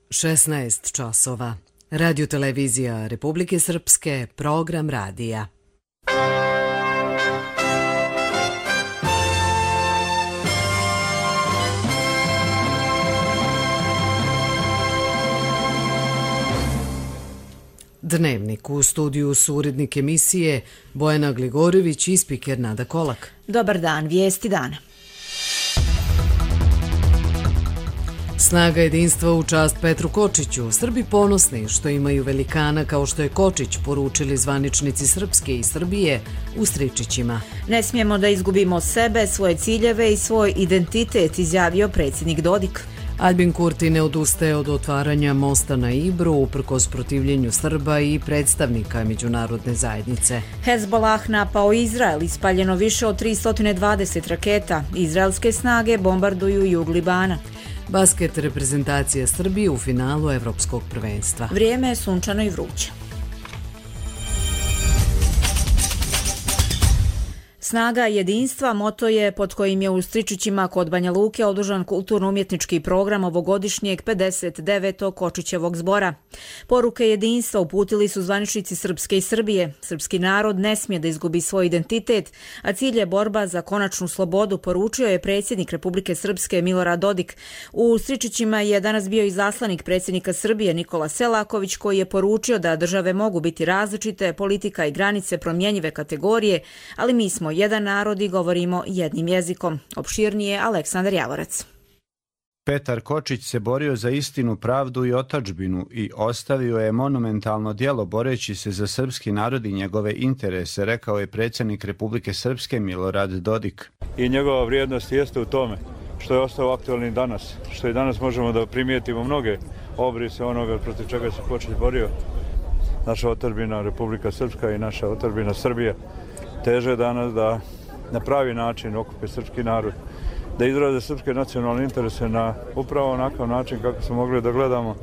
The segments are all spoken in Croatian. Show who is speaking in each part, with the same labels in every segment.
Speaker 1: 16 časova. Radio-televizija Republike Srpske, program radija. Dnevnik. U studiju su urednik emisije Bojana Gligorović i spiker Nada Kolak.
Speaker 2: Dobar dan, vijesti dana.
Speaker 1: Snaga jedinstva u čast Petru Kočiću. Srbi ponosni što imaju velikana kao što je Kočić, poručili zvaničnici Srpske i Srbije u Stričićima.
Speaker 2: Ne smijemo da izgubimo sebe, svoje ciljeve i svoj identitet, izjavio predsjednik Dodik.
Speaker 1: Albin Kurti ne odustaje od otvaranja mosta na Ibru uprkos protivljenju Srba i predstavnika međunarodne zajednice.
Speaker 2: Hezbollah napao Izrael, ispaljeno više od 320 raketa. Izraelske snage bombarduju jug Libana.
Speaker 1: Basket reprezentacija Srbije u finalu Evropskog prvenstva.
Speaker 2: Vrijeme je sunčano i vruće. Snaga jedinstva moto je pod kojim je u Stričićima kod Banja Luke održan kulturno-umjetnički program ovogodišnjeg 59. Kočićevog zbora. Poruke jedinstva uputili su zvaničnici Srpske i Srbije. Srpski narod ne smije da izgubi svoj identitet, a cilj je borba za konačnu slobodu, poručio je predsjednik Republike Srpske Milorad Dodik. U Stričićima je danas bio izaslanik predsjednika Srbije Nikola Selaković, koji je poručio da države mogu biti različite, politika i granice promjenjive kategorije, ali mi smo jedan narod i govorimo jednim jezikom. Opširnije Aleksandar Javorac.
Speaker 3: Petar Kočić se borio za istinu, pravdu i otadžbinu i ostavio je monumentalno djelo boreći se za srpski narod i njegove interese, rekao je predsjednik Republike Srpske Milorad Dodik.
Speaker 4: I njegova vrijednost jeste u tome što je ostao aktualni danas, što i danas možemo da primijetimo mnoge obrise onoga protiv čega se Kočić borio. Naša otadžbina Republika Srpska i naša otadžbina Srbija teže danas da na pravi način okupe srpski narod, da izraze srpske nacionalne interese na upravo onakav način kako smo mogli da gledamo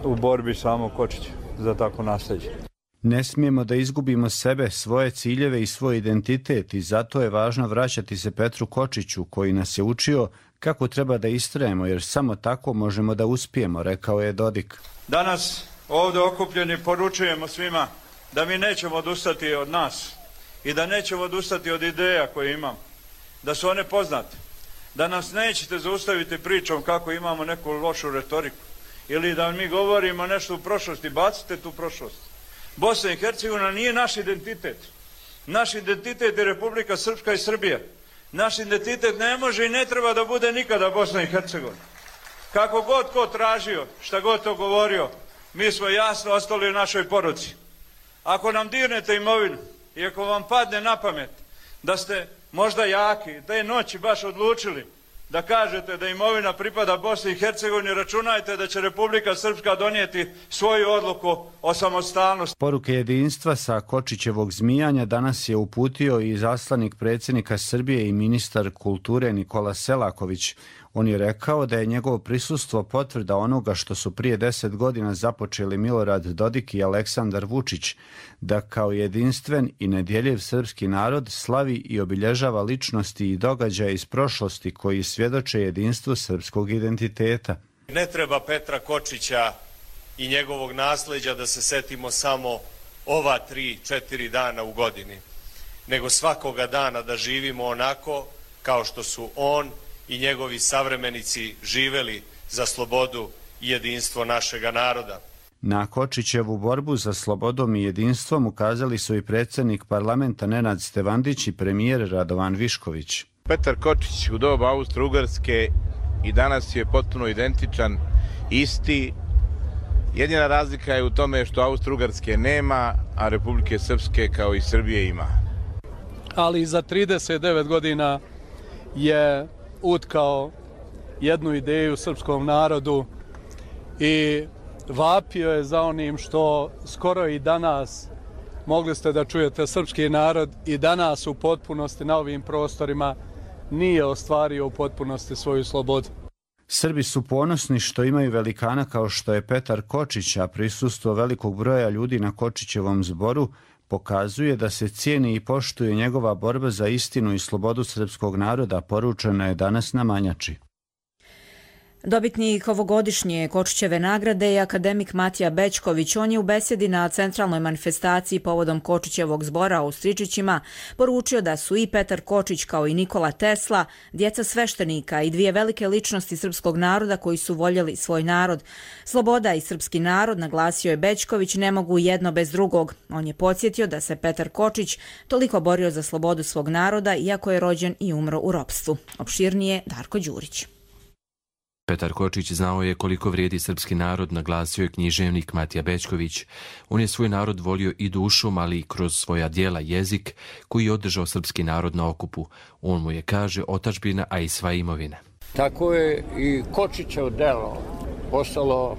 Speaker 4: u borbi samog Kočića za tako nasljeđe.
Speaker 3: Ne smijemo da izgubimo sebe, svoje ciljeve i svoj identitet i zato je važno vraćati se Petru Kočiću koji nas je učio kako treba da istrajemo jer samo tako možemo da uspijemo, rekao je Dodik.
Speaker 4: Danas ovdje okupljeni poručujemo svima da mi nećemo odustati od nas i da nećemo odustati od ideja koje imamo, da su one poznate, da nas nećete zaustaviti pričom kako imamo neku lošu retoriku ili da mi govorimo nešto u prošlosti, bacite tu prošlost. Bosna i Hercegovina nije naš identitet. Naš identitet je Republika Srpska i Srbija. Naš identitet ne može i ne treba da bude nikada Bosna i Hercegovina. Kako god ko tražio, šta god to govorio, mi smo jasno ostali u našoj poruci. Ako nam dirnete imovinu, i ako vam padne na pamet da ste možda jaki, te noći baš odlučili da kažete da imovina pripada Bosni i Hercegovini, računajte da će Republika Srpska donijeti svoju odluku o samostalnosti.
Speaker 3: Poruke jedinstva sa Kočićevog zmijanja danas je uputio i izaslanik predsjednika Srbije i ministar kulture Nikola Selaković. On je rekao da je njegovo prisustvo potvrda onoga što su prije 10 godina započeli Milorad Dodik i Aleksandar Vučić, da kao jedinstven i nedjeljiv srpski narod slavi i obilježava ličnosti i događaje iz prošlosti koji svjedoče jedinstvu srpskog identiteta.
Speaker 5: Ne treba Petra Kočića i njegovog nasljeđa da se setimo samo ova 3-4 dana u godini, nego svakoga dana da živimo onako kao što su on i njegovi savremenici živeli za slobodu i jedinstvo našega naroda.
Speaker 3: Na Kočićevu borbu za slobodom i jedinstvom ukazali su i predsjednik parlamenta Nenad Stevandić i premijer Radovan Višković.
Speaker 6: Petar Kočić u doba Austro-Ugarske i danas je potpuno identičan, isti. Jedina razlika je u tome što Austro-Ugarske nema, a Republike Srpske kao i Srbije ima.
Speaker 7: Ali za 39 godina je utkao jednu ideju srpskom narodu i vapio je za onim što skoro i danas mogli ste da čujete. Srpski narod i danas u potpunosti na ovim prostorima nije ostvario u potpunosti svoju slobodu.
Speaker 3: Srbi su ponosni što imaju velikana kao što je Petar Kočić, a prisustvo velikog broja ljudi na Kočićevom zboru pokazuje da se cijeni i poštuje njegova borba za istinu i slobodu srpskog naroda, poručeno je danas na Manjači.
Speaker 2: Dobitnik ovogodišnje Kočićeve nagrade je akademik Matija Bećković. On je u besedi na centralnoj manifestaciji povodom Kočićevog zbora u Stričićima poručio da su i Petar Kočić kao i Nikola Tesla djeca sveštenika i dvije velike ličnosti srpskog naroda koji su voljeli svoj narod. Sloboda i srpski narod, naglasio je Bećković, ne mogu jedno bez drugog. On je podsjetio da se Petar Kočić toliko borio za slobodu svog naroda iako je rođen i umro u ropstvu. Opširnije Darko Đurić.
Speaker 8: Petar Kočić znao je koliko vrijedi srpski narod, naglasio je književnik Matija Bećković. On je svoj narod volio i dušom, ali i kroz svoja djela jezik koji je održao srpski narod na okupu. On mu je, kaže, otadžbina, a i sva imovina.
Speaker 9: Tako je i Kočićev delo postalo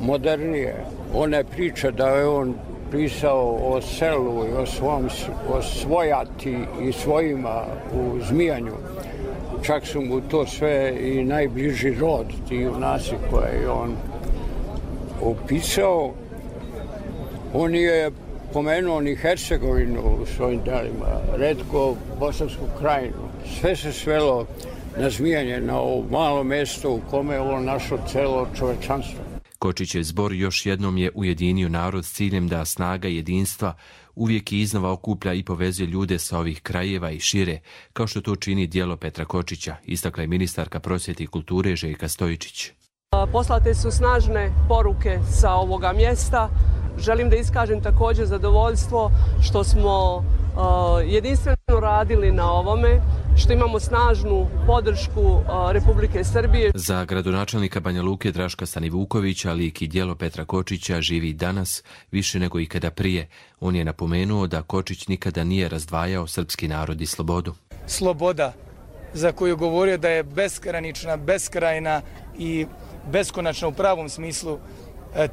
Speaker 9: modernije. One priče da je on pisao o selu i o svojati i svojima u Zmijanju. Čak su mu to sve i najbliži rod, ti junaci koje je on opisao. On je pomenuo ni Hercegovinu u svojim delima, retko Bosansku krajinu. Sve se svelo na Zmijanje, na ovo malo mjesto u kome je ovo našlo celo čovečanstvo.
Speaker 8: Kočićev zbor još jednom je ujedinio narod s ciljem da snaga jedinstva uvijek i iznova okuplja i povezuje ljude sa ovih krajeva i šire, kao što to čini djelo Petra Kočića, istakla je ministarka prosvjete i kulture Željka Stojičić.
Speaker 10: Poslate su snažne poruke sa ovoga mjesta. Želim da iskažem također zadovoljstvo što smo jedinstveno radili na ovome, što imamo snažnu podršku Republike Srbije.
Speaker 8: Za gradonačelnika Banja Luke Draška Stanivukovića lik i djelo Petra Kočića živi danas više nego ikada prije. On je napomenuo da Kočić nikada nije razdvajao srpski narod i slobodu.
Speaker 11: Sloboda za koju govorio da je besgranična, beskrajna i beskonačna u pravom smislu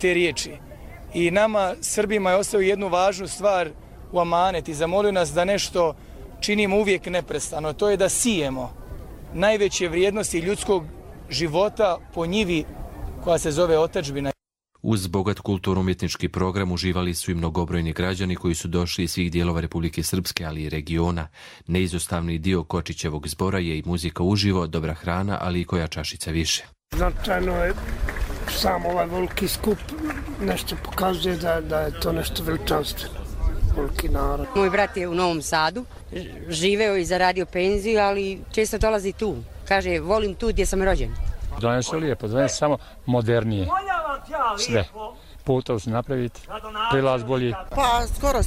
Speaker 11: te riječi. I nama, Srbima, je ostavio jednu važnu stvar u amanet i zamolio nas da nešto činimo uvijek neprestano. To je da sijemo najveće vrijednosti ljudskog života po njivi koja se zove otadžbina.
Speaker 8: Uz bogat kulturno-umjetnički program uživali su i mnogobrojni građani koji su došli iz svih dijelova Republike Srpske, ali i regiona. Neizostavni dio Kočićevog zbora je i muzika uživo, dobra hrana, ali i koja čašica više.
Speaker 12: Značajno je sam ovaj veliki skup, nešto pokazuje da je to nešto veličanstveno, veliki narod.
Speaker 13: Moj brat je u Novom Sadu, živeo i zaradio penziju, ali često dolazi tu. Kaže, volim tu gdje sam rođen.
Speaker 14: Danas je lijepo, danas samo modernije. Sve. Putov se napraviti, prilaz bolji.
Speaker 15: Pa skoro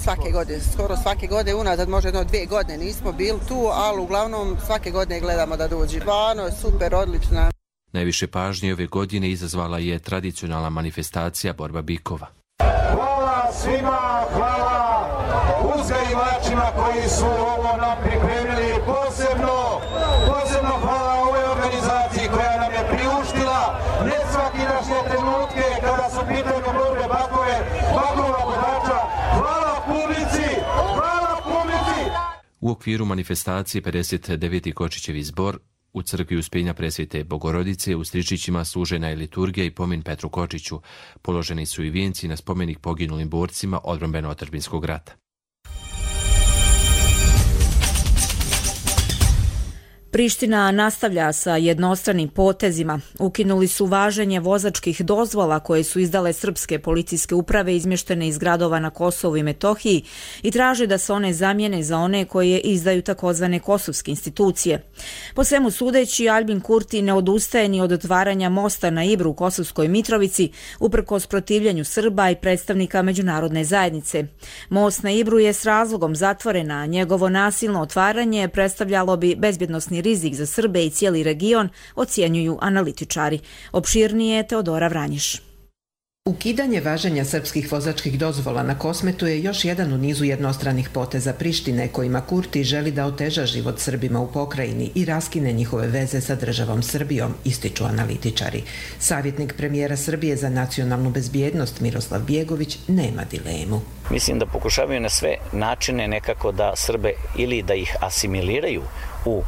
Speaker 15: svake godine, unazad možda 2 godine nismo bili tu, ali uglavnom svake godine gledamo da dođe. Stvarno je super, odlična.
Speaker 8: Najviše pažnje ove godine izazvala je tradicionalna manifestacija borba bikova.
Speaker 16: Hvala svima, hvala uzgajivačima koji su ovo nam pripremili, posebno hvala ovoj organizaciji koja nam je priuštila ne svakidašnje trenutke kada su pitanje borbe bakova vodača. Hvala publici!
Speaker 8: U okviru manifestacije 59. Kočićevi zbor u crkvi Uspjenja Presvete Bogorodice u Stričićima služena je liturgija i pomin Petru Kočiću. Položeni su i vijenci na spomenik poginulim borcima odbrambeno-otadžbinskog rata.
Speaker 2: Priština nastavlja sa jednostranim potezima. Ukinuli su važenje vozačkih dozvola koje su izdale srpske policijske uprave izmještene iz gradova na Kosovu i Metohiji i traže da se one zamijene za one koje izdaju takozvane kosovske institucije. Po svemu sudeći, Albin Kurti ne odustaje ni od otvaranja mosta na Ibru u Kosovskoj Mitrovici, uprkos protivljenju Srba i predstavnika međunarodne zajednice. Most na Ibru je s razlogom zatvoren, a njegovo nasilno otvaranje predstavljalo bi bezbjednosni rizik za Srbe i cijeli region, ocjenjuju analitičari. Opširnije Teodora Vranjiš.
Speaker 17: Ukidanje važenja srpskih vozačkih dozvola na Kosmetu je još jedan u nizu jednostranih poteza Prištine kojima Kurti želi da oteža život Srbima u pokrajini i raskine njihove veze sa državom Srbijom, ističu analitičari. Savjetnik premijera Srbije za nacionalnu bezbjednost Miroslav Bjegović nema dilemu.
Speaker 18: Mislim da pokušavaju na sve načine nekako da Srbe ili da ih asimiliraju u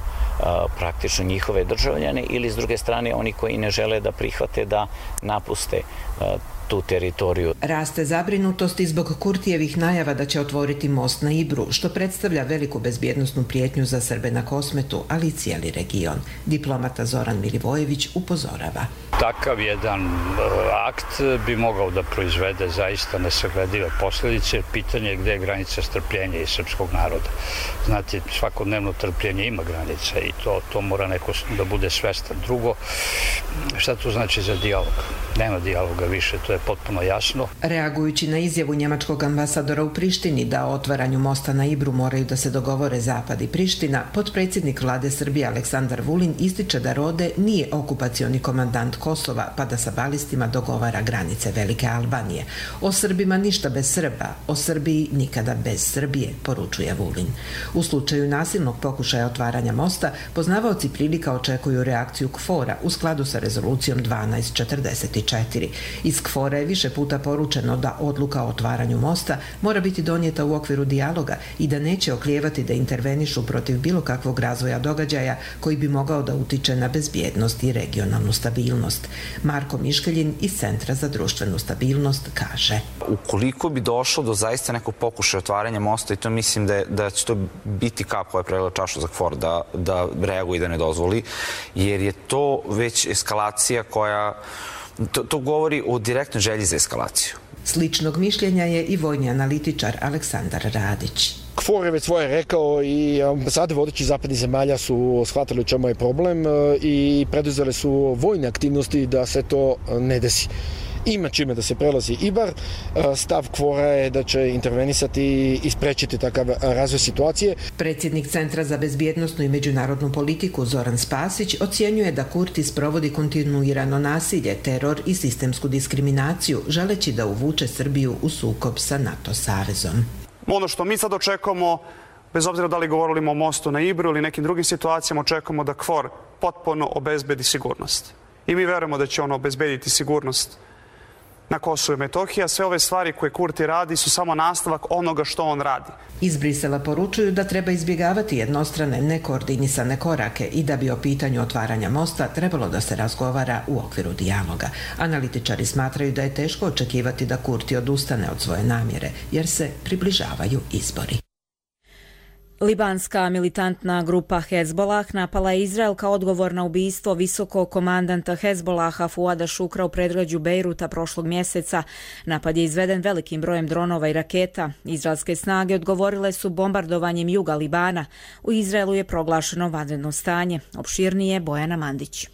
Speaker 18: praktično njihove državljane ili s druge strane oni koji ne žele da prihvate da napuste tu teritoriju.
Speaker 17: Raste zabrinutost i zbog Kurtijevih najava da će otvoriti most na Ibru, što predstavlja veliku bezbjednosnu prijetnju za Srbe na Kosmetu, ali i cijeli region. Diplomata Zoran Milivojević upozorava.
Speaker 19: Takav jedan akt bi mogao da proizvede zaista nesagledive posljedice. Pitanje je gdje je granica strpljenja i srpskog naroda. Znate, svakodnevno trpljenje ima granice i to mora neko da bude svestan. Drugo, šta to znači za dijalog? Nema dijaloga više, to je potpuno jasno.
Speaker 17: Reagujući na izjavu njemačkog ambasadora u Prištini da o otvaranju mosta na Ibru moraju da se dogovore Zapad i Priština, potpredsjednik vlade Srbije Aleksandar Vulin ističe da Rode nije okupacioni komandant Kosova pa da sa balistima dogovara granice Velike Albanije. O Srbima ništa bez Srba, o Srbiji nikada bez Srbije, poručuje Vulin. U slučaju nasilnog pokušaja otvaranja mosta, poznavaoci prilika očekuju reakciju KFOR-a u skladu sa rezolucijom 1244. Iz KFOR-a je više puta poručeno da odluka o otvaranju mosta mora biti donijeta u okviru dijaloga i da neće oklijevati da intervenišu protiv bilo kakvog razvoja događaja koji bi mogao da utiče na bezbjednost i regionalnu stabilnost. Marko Miškeljin iz Centra za društvenu stabilnost kaže:
Speaker 20: Ukoliko bi došlo do zaista nekog pokušaja otvaranja mosta, i to mislim da će to biti kap koja je prelila čašu za KFOR da reaguje i da ne dozvoli, jer je to već eskalacija koja to govori o direktnoj želji za eskalaciju.
Speaker 17: Sličnog mišljenja je i vojni analitičar Aleksandar Radić.
Speaker 21: KFOR je već svoje rekao i ambasade vodećih zapadnih zemalja su shvatili u čemu je problem i preduzele su vojne aktivnosti da se to ne desi. Ima čime da se prelazi Ibar. Stav KFOR-a je da će intervenisati i sprečiti takav razvoj situacije.
Speaker 17: Predsjednik Centra za bezbjednosnu i međunarodnu politiku Zoran Spasić ocjenjuje da Kurti sprovodi kontinuirano nasilje, teror i sistemsku diskriminaciju, želeći da uvuče Srbiju u sukob sa NATO savezom.
Speaker 22: Ono što mi sad očekujemo, bez obzira da li govorimo o mostu na Ibru ili nekim drugim situacijama, očekujemo da KFOR potpuno obezbedi sigurnost. I mi verujemo da će on obezbediti sigurnost na Kosovu i Metohiji, a sve ove stvari koje Kurti radi su samo nastavak onoga što on radi.
Speaker 17: Iz Brisela poručuju da treba izbjegavati jednostrane, nekoordinisane korake i da bi o pitanju otvaranja mosta trebalo da se razgovara u okviru dijaloga. Analitičari smatraju da je teško očekivati da Kurti odustane od svoje namjere, jer se približavaju izbori.
Speaker 2: Libanska militantna grupa Hezbolah napala je Izrael kao odgovor na ubistvo visokog komandanta Hezbolaha Fuada Šukra u predgrađu Bejruta prošlog mjeseca. Napad je izveden velikim brojem dronova i raketa. Izraelske snage odgovorile su bombardovanjem juga Libana. U Izraelu je proglašeno vanredno stanje. Opširnije Bojana Mandić.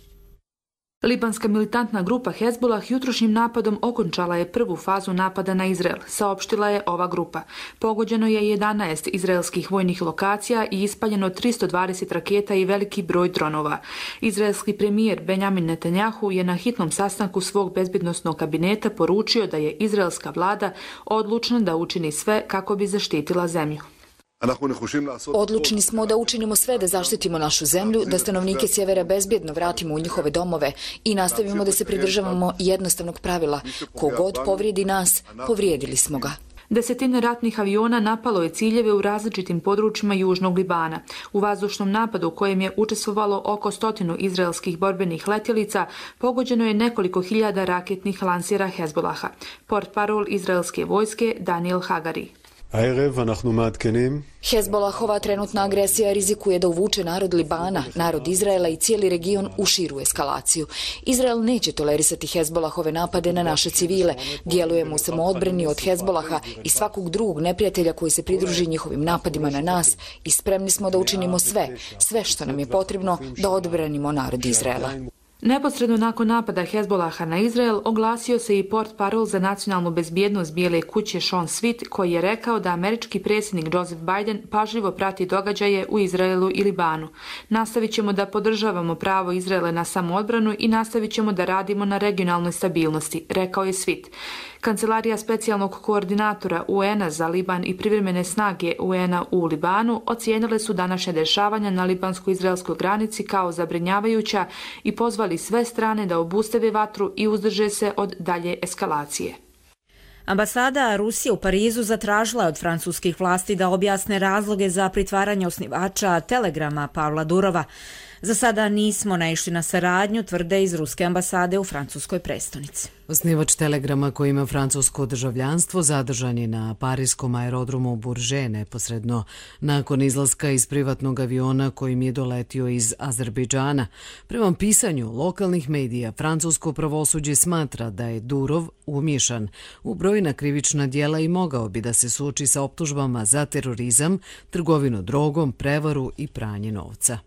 Speaker 23: Libanska militantna grupa Hezbolah jutrošnjim napadom okončala je prvu fazu napada na Izrael, saopštila je ova grupa. Pogođeno je 11 izraelskih vojnih lokacija i ispaljeno 320 raketa i veliki broj dronova. Izraelski premijer Benjamin Netanjahu je na hitnom sastanku svog bezbjednosnog kabineta poručio da je izraelska vlada odlučna da učini sve kako bi zaštitila zemlju.
Speaker 24: Odlučni smo da učinimo sve da zaštitimo našu zemlju, da stanovnike sjevera bezbjedno vratimo u njihove domove i nastavimo da se pridržavamo jednostavnog pravila. Kogod povrijedi nas, povrijedili smo ga.
Speaker 23: Desetine ratnih aviona napalo je ciljeve u različitim područjima južnog Libana. U vazdušnom napadu u kojem je učestvovalo oko 100 izraelskih borbenih letjelica pogođeno je nekoliko hiljada raketnih lansera Hezbolaha. Portparol izraelske vojske Daniel Hagari.
Speaker 24: Hezbolahova trenutna agresija rizikuje da uvuče narod Libana, narod Izraela i cijeli region u širu eskalaciju. Izrael neće tolerisati Hezbolahove napade na naše civile. Djelujemo u samoodbrani od Hezbolaha i svakog drugog neprijatelja koji se pridruži njihovim napadima na nas i spremni smo da učinimo sve što nam je potrebno da odbranimo narod Izraela.
Speaker 23: Neposredno nakon napada Hezbolaha na Izrael oglasio se i portparol za nacionalnu bezbjednost Bijele kuće Sean Sweet, koji je rekao da američki predsjednik Joseph Biden pažljivo prati događaje u Izraelu i Libanu. Nastavit ćemo da podržavamo pravo Izraela na samoodbranu i nastavit ćemo da radimo na regionalnoj stabilnosti, rekao je Sweet. Kancelarija specijalnog koordinatora UN-a za Liban i privremene snage UN-a u Libanu ocijenile su današnje dešavanja na libansko-izraelskoj granici kao zabrinjavajuća i pozvali sve strane da obustave vatru i uzdrže se od dalje eskalacije.
Speaker 2: Ambasada Rusije u Parizu zatražila je od francuskih vlasti da objasne razloge za pritvaranje osnivača Telegrama Pavla Durova. Za sada nismo naišli na saradnju, tvrde iz ruske ambasade u francuskoj prestonici.
Speaker 1: Osnivač Telegrama koji ima francusko državljanstvo zadržan je na parijskom aerodromu Bourget neposredno nakon izlaska iz privatnog aviona kojim je doletio iz Azerbejdžana. Prema pisanju lokalnih medija, francusko pravosuđe smatra da je Durov umiješan u brojna krivična djela i mogao bi da se suoči sa optužbama za terorizam, trgovinu drogom, prevaru i pranje novca.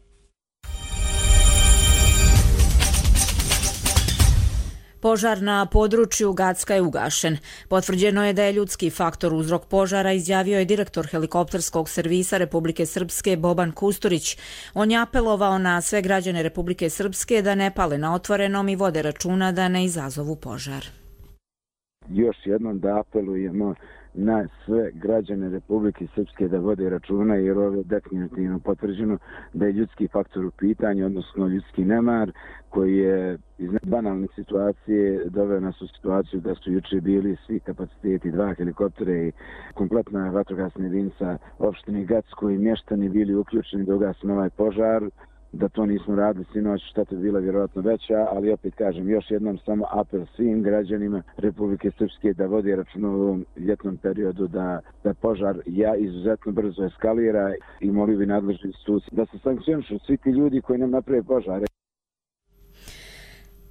Speaker 2: Požar na području Gacka je ugašen. Potvrđeno je da je ljudski faktor uzrok požara, izjavio je direktor helikopterskog servisa Republike Srpske Boban Kusturić. On je apelovao na sve građane Republike Srpske da ne pale na otvorenom i vode računa da ne izazovu požar.
Speaker 4: Još jednom da apelujemo na sve građane Republike Srpske da vode računa, jer ovo je definitivno potvrđeno da je ljudski faktor u pitanju, odnosno ljudski nemar koji je iz banalne situacije doveo nas u situaciju da su juče bili svi kapaciteti, 2 helikoptera i kompletna vatrogasna jedinica opštine Gacko i mještani bili uključeni da ugasimo ovaj požar. Da to nismo radili sinoć, šteta bi bila vjerojatno veća, ali opet kažem, još jednom samo apel svim građanima Republike Srpske da vodi računa u ovom ljetnom periodu da požar izuzetno brzo eskalira i molio bi nadležne institucije da se sankcionišu svi ti ljudi koji nam naprave požare.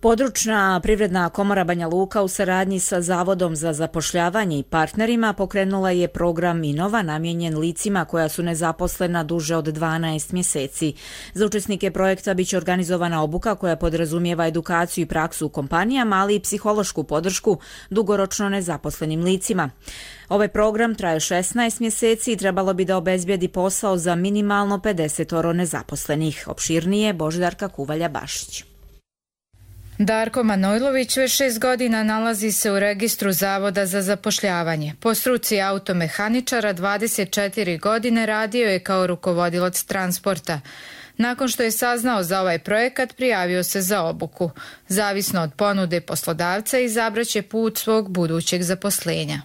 Speaker 2: Područna privredna komora Banja Luka u saradnji sa Zavodom za zapošljavanje i partnerima pokrenula je program Inova namijenjen licima koja su nezaposlena duže od 12 mjeseci. Za učesnike projekta biće organizovana obuka koja podrazumijeva edukaciju i praksu u kompanijama, ali i psihološku podršku dugoročno nezaposlenim licima. Ovaj program traje 16 mjeseci i trebalo bi da obezbijedi posao za minimalno 50 nezaposlenih. Opširnije Božidarka Kuvalja-Bašić.
Speaker 5: Darko Manojlović već 6 godina nalazi se u registru Zavoda za zapošljavanje. Po struci automehaničara 24 godine radio je kao rukovodilac transporta. Nakon što je saznao za ovaj projekat, prijavio se za obuku. Zavisno od ponude poslodavca, izabraće put svog budućeg zaposlenja.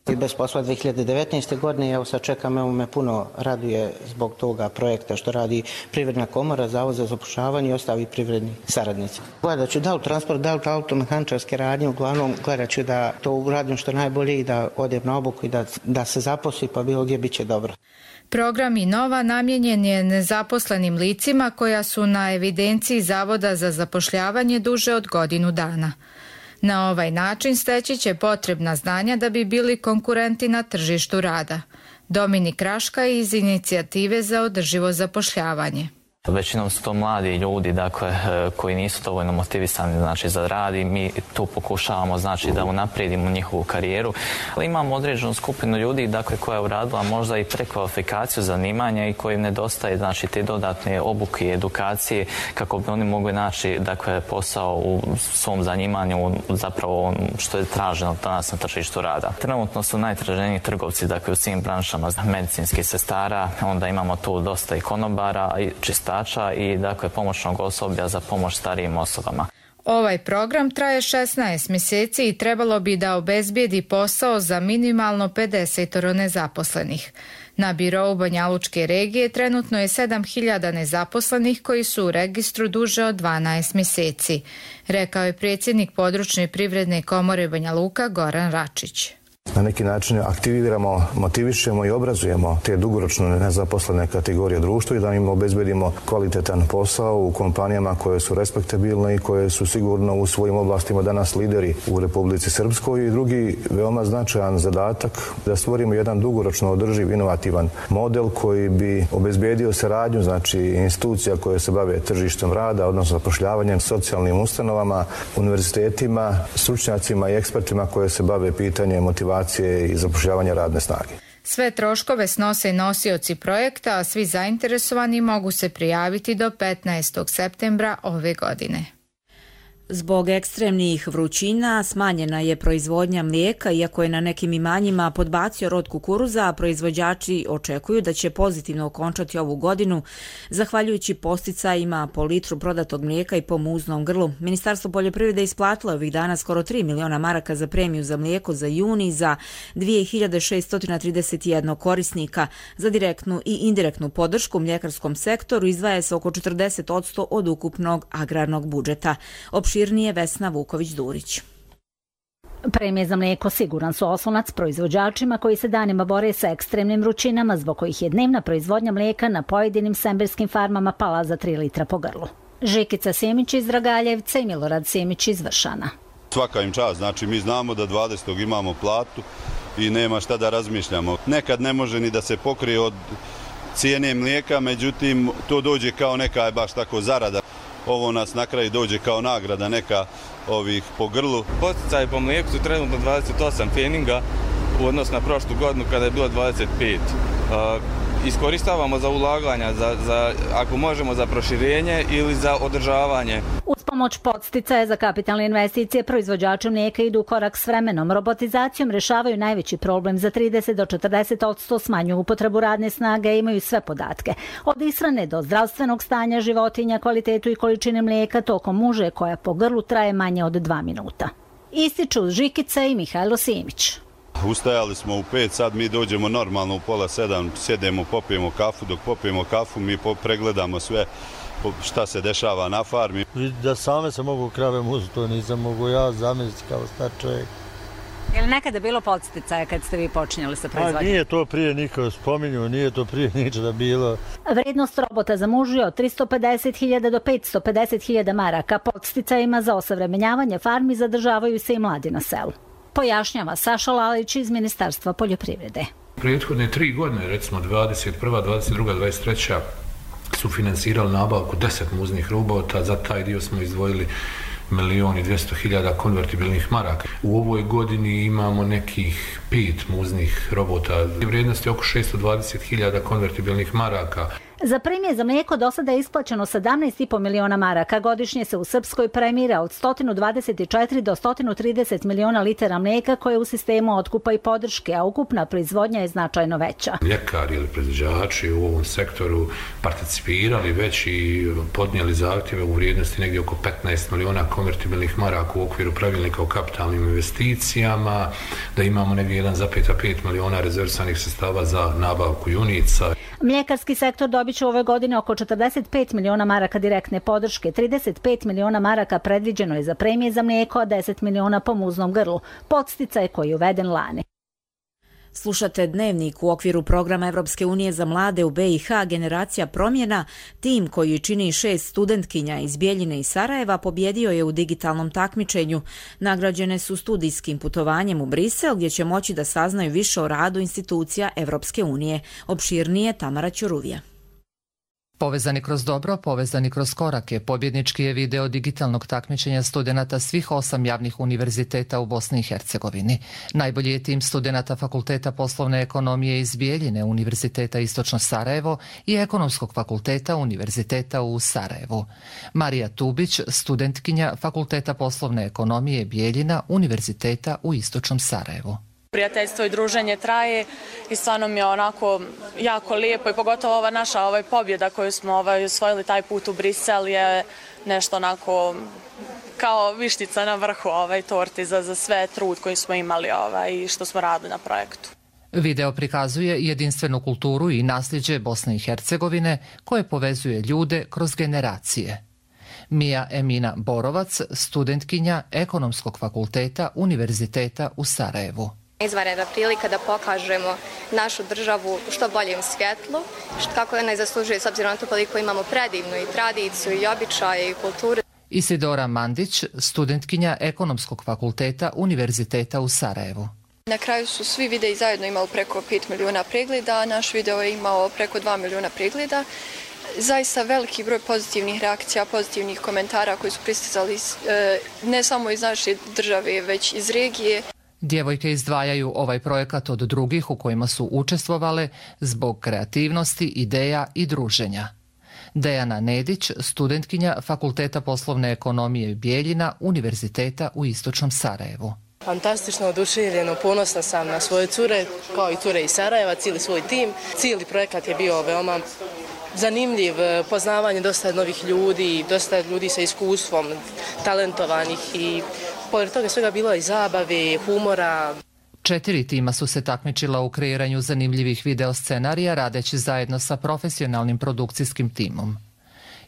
Speaker 6: I bez posla 2019. godine, evo sad čekam, evo me puno raduje zbog toga projekta što radi Privredna komora, Zavod za zapošljavanje i ostali privredni saradnici. Gledat ću da li transport, da li automehaničarske radnje, uglavnom gledat ću da to uradim što najbolje i da odem na obuku i da se zaposli, pa bilo gdje bit će dobro.
Speaker 5: Program Inova namijenjen je nezaposlenim licima koja su na evidenciji Zavoda za zapošljavanje duže od godinu dana. Na ovaj način steći će potrebna znanja da bi bili konkurenti na tržištu rada. Dominik Raška iz Inicijative za održivo zapošljavanje.
Speaker 25: Većinom su to mladi ljudi, dakle, koji nisu dovoljno motivisani, znači, za rad i mi tu pokušavamo, znači, da unaprijedimo njihovu karijeru. Ali imamo određenu skupinu ljudi, dakle, koja je uradila možda i prekvalifikaciju zanimanja i koji nedostaje, znači, te dodatne obuke i edukacije kako bi oni mogli naći, dakle, posao u svom zanimanju, zapravo što je traženo danas na tržištu rada. Trenutno su najtraženiji trgovci, dakle, u svim branšama medicinskih sestara, onda imamo tu dosta i konobara i čistača i dakle pomoćnog osoblja za pomoć starijim osobama.
Speaker 5: Ovaj program traje 16 mjeseci i trebalo bi da obezbijedi posao za minimalno 50 nezaposlenih. Na birou Banjalučke regije trenutno je 7.000 nezaposlenih koji su u registru duže od 12 mjeseci, rekao je predsjednik područne privredne komore Banja Luka Goran Račić.
Speaker 26: Na neki način aktiviramo, motivišemo i obrazujemo te dugoročno nezaposlene kategorije društva i da im obezbedimo kvalitetan posao u kompanijama koje su respektabilne i koje su sigurno u svojim oblastima danas lideri u Republici Srpskoj. I drugi veoma značajan zadatak da stvorimo jedan dugoročno održiv, inovativan model koji bi obezbedio saradnju, znači institucija koje se bave tržištem rada, odnosno zapošljavanjem, socijalnim ustanovama, univerzitetima, stručnjacima i ekspertima koje se bave pitanjem motivacije i zapošljavanja radne snage.
Speaker 5: Sve troškove snose nosioci projekta, a svi zainteresovani mogu se prijaviti do 15. septembra ove godine.
Speaker 2: Zbog ekstremnih vrućina smanjena je proizvodnja mlijeka, iako je na nekim imanjima podbacio rod kukuruza, a proizvođači očekuju da će pozitivno okončati ovu godinu, zahvaljujući posticajima po litru prodatog mlijeka i po muznom grlu. Ministarstvo poljoprivrede isplatilo ovih dana skoro 3 miliona maraka za premiju za mlijeko za juni za 2631 korisnika. Za direktnu i indirektnu podršku mljekarskom sektoru izdvaja se oko 40% od ukupnog agrarnog budžeta. Opširnije Vesna Vuković-Durić.
Speaker 3: Premije za mlijeko siguran su oslonac proizvođačima koji se danima bore sa ekstremnim vrućinama, zbog kojih je dnevna proizvodnja mlijeka na pojedinim semberskim farmama pala za 3 litra po grlu. Žikica Sjemić iz Dragaljevca i Milorad Sjemić iz Vršana.
Speaker 7: Svaka im čast, znači mi znamo da 20. imamo platu i nema šta da razmišljamo. Nekad ne može ni da se pokrije od cijene mlijeka, međutim to dođe kao neka baš tako zarada. Ovo nas na kraju dođe kao nagrada neka ovih po grlu.
Speaker 9: Posticaji po mlijeku su trenutno 28 pfeninga u odnosu na prošlu godinu kada je bilo 25. Iskoristavamo za ulaganja, ako možemo za proširenje ili za održavanje.
Speaker 3: Uz pomoć podsticaja za kapitalne investicije proizvođači mlijeka idu u korak s vremenom. Robotizacijom rješavaju najveći problem, za 30 do 40% smanjuju upotrebu radne snage i imaju sve podatke. Od ishrane do zdravstvenog stanja životinja, kvalitetu i količine mlijeka tokom muže koja po grlu traje manje od 2 minuta. Ističu Žikica i Mihajlo Simić.
Speaker 7: Ustajali smo u 5, sad mi dođemo normalno u pola 7, sjedemo, popijemo kafu, dok popijemo kafu mi pregledamo sve šta se dešava na farmi.
Speaker 10: Da same se mogu krave muzu, to nisam mogu ja zamisliti kao star čovjek.
Speaker 3: Je li nekada bilo podsticaja kad ste vi počinjali sa proizvodnjom?
Speaker 10: Nije to prije niko spominju, nije to prije ničega bilo.
Speaker 3: Vrednost robota za muž je od 350.000 do 550.000 maraka. Podsticajima za osavremenjavanje farmi zadržavaju se i mladi na selu. Pojašnjava Saša Lalić iz Ministarstva poljoprivrede.
Speaker 11: Prethodne 3 godine, recimo 21., 22., 23. su finansirali nabavku 10 muznih robota, za taj dio smo izdvojili 1.200.000 konvertibilnih maraka. U ovoj godini imamo nekih 5 muznih robota. Vrijednost je oko 620.000 konvertibilnih maraka.
Speaker 3: Za premije za mlijeko do sada je isplaćeno 17,5 miliona maraka. Godišnje se u Srpskoj premira od 124 do 130 miliona litara mlijeka koje u sistemu otkupa i podrške, a ukupna proizvodnja je značajno veća.
Speaker 11: Mljekari ili proizvođači u ovom sektoru participirali već i podnijeli zahtjeve u vrijednosti negdje oko 15 miliona konvertibilnih maraka u okviru pravilnika o kapitalnim investicijama, da imamo negdje 1,5 miliona rezerviranih sredstava za nabavku junica.
Speaker 3: Mljekarski sektor dobit će ove godine oko 45 miliona maraka direktne podrške, 35 miliona maraka predviđeno je za premije za mlijeko, a 10 miliona po muznom grlu. Podsticaj koji je uveden lani.
Speaker 2: Slušate Dnevnik u okviru programa Evropske unije za mlade u BiH Generacija promjena. Tim koji čini 6 studentkinja iz Bijeljine i Sarajeva pobjedio je u digitalnom takmičenju. Nagrađene su studijskim putovanjem u Brisel gdje će moći da saznaju više o radu institucija Evropske unije. Opširnije Tamara Ćuruvija.
Speaker 12: Povezani kroz dobro, povezani kroz korake, pobjednički je video digitalnog takmičenja studenata svih 8 javnih univerziteta u Bosni i Hercegovini. Najbolji je tim studenata Fakulteta poslovne ekonomije iz Bijeljine, Univerziteta Istočno Sarajevo i Ekonomskog fakulteta Univerziteta u Sarajevu. Marija Tubić, studentkinja Fakulteta poslovne ekonomije Bijeljina, Univerziteta u Istočnom Sarajevu.
Speaker 27: Prijateljstvo i druženje traje i stvarno mi je onako jako lijepo i pogotovo ova naša pobjeda koju smo osvojili taj put u Brisel je nešto onako kao vištica na vrhu torti za sve trud koji smo imali i što smo radili na projektu.
Speaker 12: Video prikazuje jedinstvenu kulturu i nasljeđe Bosne i Hercegovine koje povezuje ljude kroz generacije. Mija Emina Borovac, studentkinja Ekonomskog fakulteta Univerziteta u Sarajevu.
Speaker 28: Izvanredna prilika da pokažemo našu državu u što boljem svjetlu, kako ona i zaslužuje s obzirom na to koliko imamo predivnu i tradiciju i običaje i kulturu.
Speaker 12: Isidora Mandić, studentkinja Ekonomskog fakulteta Univerziteta u Sarajevu.
Speaker 29: Na kraju su svi videi zajedno imali preko 5 milijuna pregleda, a naš video je imao preko 2 milijuna pregleda. Zaista veliki broj pozitivnih reakcija, pozitivnih komentara koji su pristizali ne samo iz naše države, već iz regije.
Speaker 12: Djevojke izdvajaju ovaj projekat od drugih u kojima su učestvovale zbog kreativnosti, ideja i druženja. Dejana Nedić, studentkinja Fakulteta poslovne ekonomije Bijeljina, Univerziteta u Istočnom Sarajevu.
Speaker 8: Fantastično, oduševljeno, ponosna sam na svoje cure, kao i cure iz Sarajeva, cijeli svoj tim. Cijeli projekat je bio veoma zanimljiv, poznavanje dosta novih ljudi, dosta ljudi sa iskustvom, talentovanih i pored toga svega bilo i zabave, humora.
Speaker 12: 4 tima su se takmičila u kreiranju zanimljivih video scenarija radeći zajedno sa profesionalnim produkcijskim timom.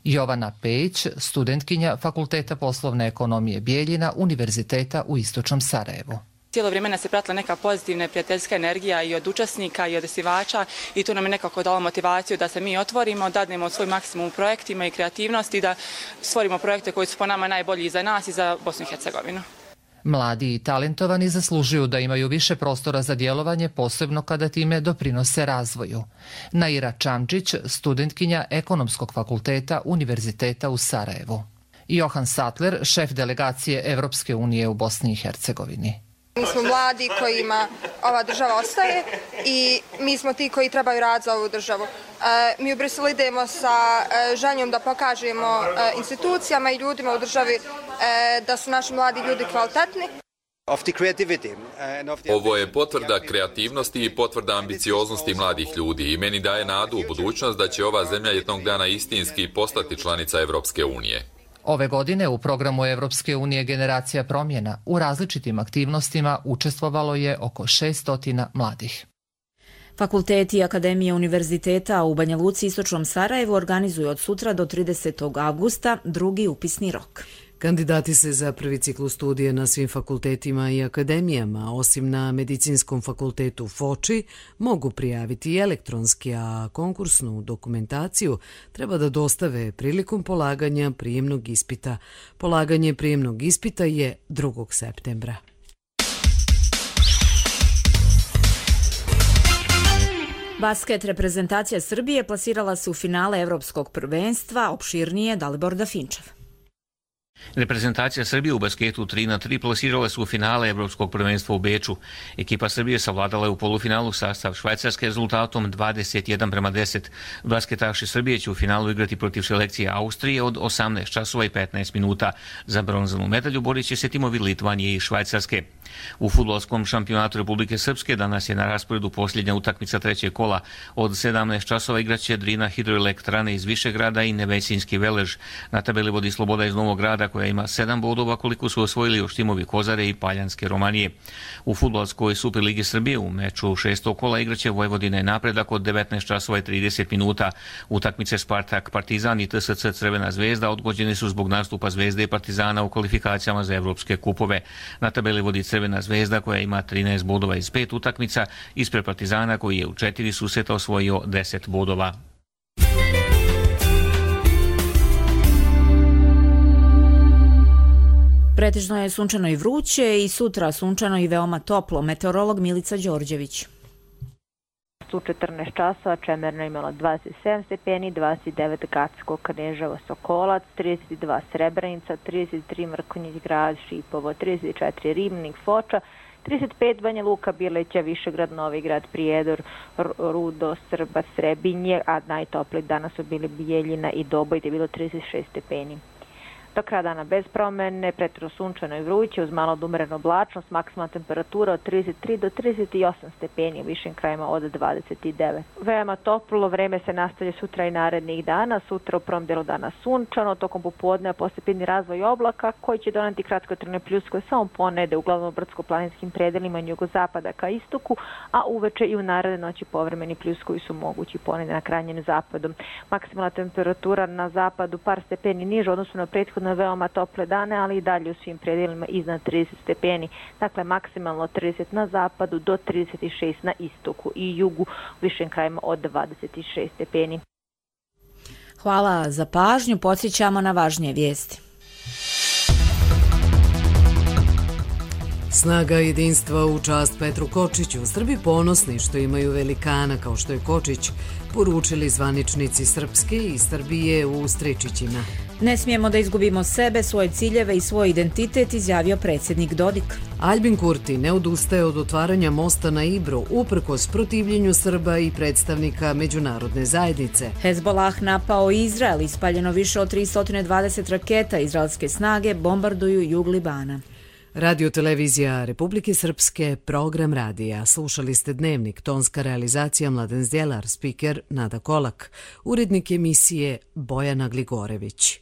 Speaker 12: Jovana Pejić, studentkinja Fakulteta poslovne ekonomije Bijeljina, Univerziteta u Istočnom Sarajevu.
Speaker 13: Cijelo vrijeme nas je pratila neka pozitivna prijateljska energija i od učesnika i od osnivača i to nam je nekako dalo motivaciju da se mi otvorimo, dadnemo svoj maksimum u projektima i kreativnosti, da stvorimo projekte koji su po nama najbolji i za nas i za Bosnu i Hercegovinu.
Speaker 12: Mladi i talentovani zaslužuju da imaju više prostora za djelovanje, posebno kada time doprinose razvoju. Naira Čamčić, studentkinja Ekonomskog fakulteta Univerziteta u Sarajevu. Johan Sattler, šef delegacije Evropske unije u Bosni i Hercegovini.
Speaker 14: Mi smo mladi kojima ova država ostaje i mi smo ti koji trebaju raditi za ovu državu. Mi u Briselu idemo sa željom da pokažemo institucijama i ljudima u državi da su naši mladi ljudi kvalitetni.
Speaker 15: Ovo je potvrda kreativnosti i potvrda ambicioznosti mladih ljudi i meni daje nadu u budućnost da će ova zemlja jednog dana istinski postati članica Evropske unije.
Speaker 12: Ove godine u programu Evropske unije Generacija promjena u različitim aktivnostima učestvovalo je oko 600 mladih.
Speaker 2: Fakulteti i Akademije univerziteta u Banja Luci i Istočnom Sarajevu organizuju od sutra do 30. avgusta drugi upisni rok.
Speaker 1: Kandidati se za prvi ciklus studija na svim fakultetima i akademijama, osim na Medicinskom fakultetu Foči, mogu prijaviti i elektronski, a konkursnu dokumentaciju treba da dostave prilikom polaganja prijemnog ispita. Polaganje prijemnog ispita je 2. septembra.
Speaker 2: Basket reprezentacija Srbije plasirala se u finale Evropskog prvenstva, opširnije Dalibor Dafinčev.
Speaker 16: Reprezentacija Srbije u basketu 3-3 plasirala su u finale Evropskog prvenstva u Beču. Ekipa Srbije savladala je u polufinalu sastav Švajcarske rezultatom 21:10. Basketaši Srbije će u finalu igrati protiv selekcije Austrije od 18 časova i 15 minuta. Za bronzanu medalju borit će se timovi Litvanije i Švajcarske. U fudbalskom šampionatu Republike Srpske danas je na rasporedu posljednja utakmica trećeg kola. Od 17 časova igraće Drina Hidroelektrane iz Višegrada i Nevesinski Velež. Na tabeli vodi Sloboda iz Novog Grada koja ima 7 bodova koliko su osvojili još timovi Kozare i Paljanske Romanije. U fudbalskoj Superligi Srbije u meču 6. kola igraće Vojvodina i Napredak od 19 časova i 30 minuta. Utakmice Spartak Partizan i TSC Crvena zvezda odgođene su zbog nastupa Zvezde i Partizana u kvalifikacijama za evropske kupove. Na tabeli vodi Crvena zvezda koja ima 13 bodova iz 5 utakmica, ispred Partizana koji je u 4 susreta osvojio 10 bodova.
Speaker 2: Pretežno je sunčano i vruće i sutra sunčano i veoma toplo. Meteorolog Milica Đorđević.
Speaker 18: U 14 časova Čemerna imala 27 stepeni, 29 Gacko, Kneževo, Sokolac, 32 Srebrenica, 33 Mrkonjić Grad, Šipovo, 34 Ribnik, Foča, 35 Banja Luka, Bileća, Višegrad, Novi Grad, Prijedor, Rudo, Srba, Srebinje, a najtopliji danas su bili Bijeljina i Doboj, gdje je bilo 36 stepeni. Do kraja dana bez promene, pretjerano sunčano i vruće uz malo odumrenu oblačnost, maksimalna temperatura od 33 do 38 stepeni, u višim krajima od 29. Veoma toplo vreme se nastavlja sutra i narednih dana. Sutra u prvom delu dana sunčano, tokom popodneva postepeni razvoj oblaka koji će doneti kratkotrajne pljuskove samo ponede uglavnom brdsko-planinskim predelima jugozapada ka istoku, a uveče i u naredne noći povremeni pljuskovi su mogući ponede na krajnjem zapadu. Maksimalna temperatura na zapadu par stepeni niže odnosno na prethodno veoma tople dane, ali i dalje u svim predelima iznad 30 stepeni. Dakle, maksimalno 30 na zapadu do 36 na istoku i jugu, u višim krajima od 26 stepeni.
Speaker 2: Hvala za pažnju, podsjećamo na važnije vijesti.
Speaker 1: Snaga jedinstva u čast Petru Kočiću. Srbi ponosni što imaju velikana kao što je Kočić, poručili zvaničnici Srpske i Srbije u Stričićima.
Speaker 2: Ne smijemo da izgubimo sebe, svoje ciljeve i svoj identitet, izjavio predsjednik Dodik.
Speaker 1: Aljbin Kurti ne odustaje od otvaranja mosta na Ibru, uprkos protivljenju Srba i predstavnika međunarodne zajednice.
Speaker 2: Hezbolah napao Izrael, ispaljeno više od 320 raketa, izraelske snage bombarduju jug Libana.
Speaker 1: Radio-televizija Republike Srpske, program radija. Slušali ste Dnevnik, tonska realizacija Mladen Zdjelar, spiker Nada Kolak, urednik emisije Bojana Gligorević.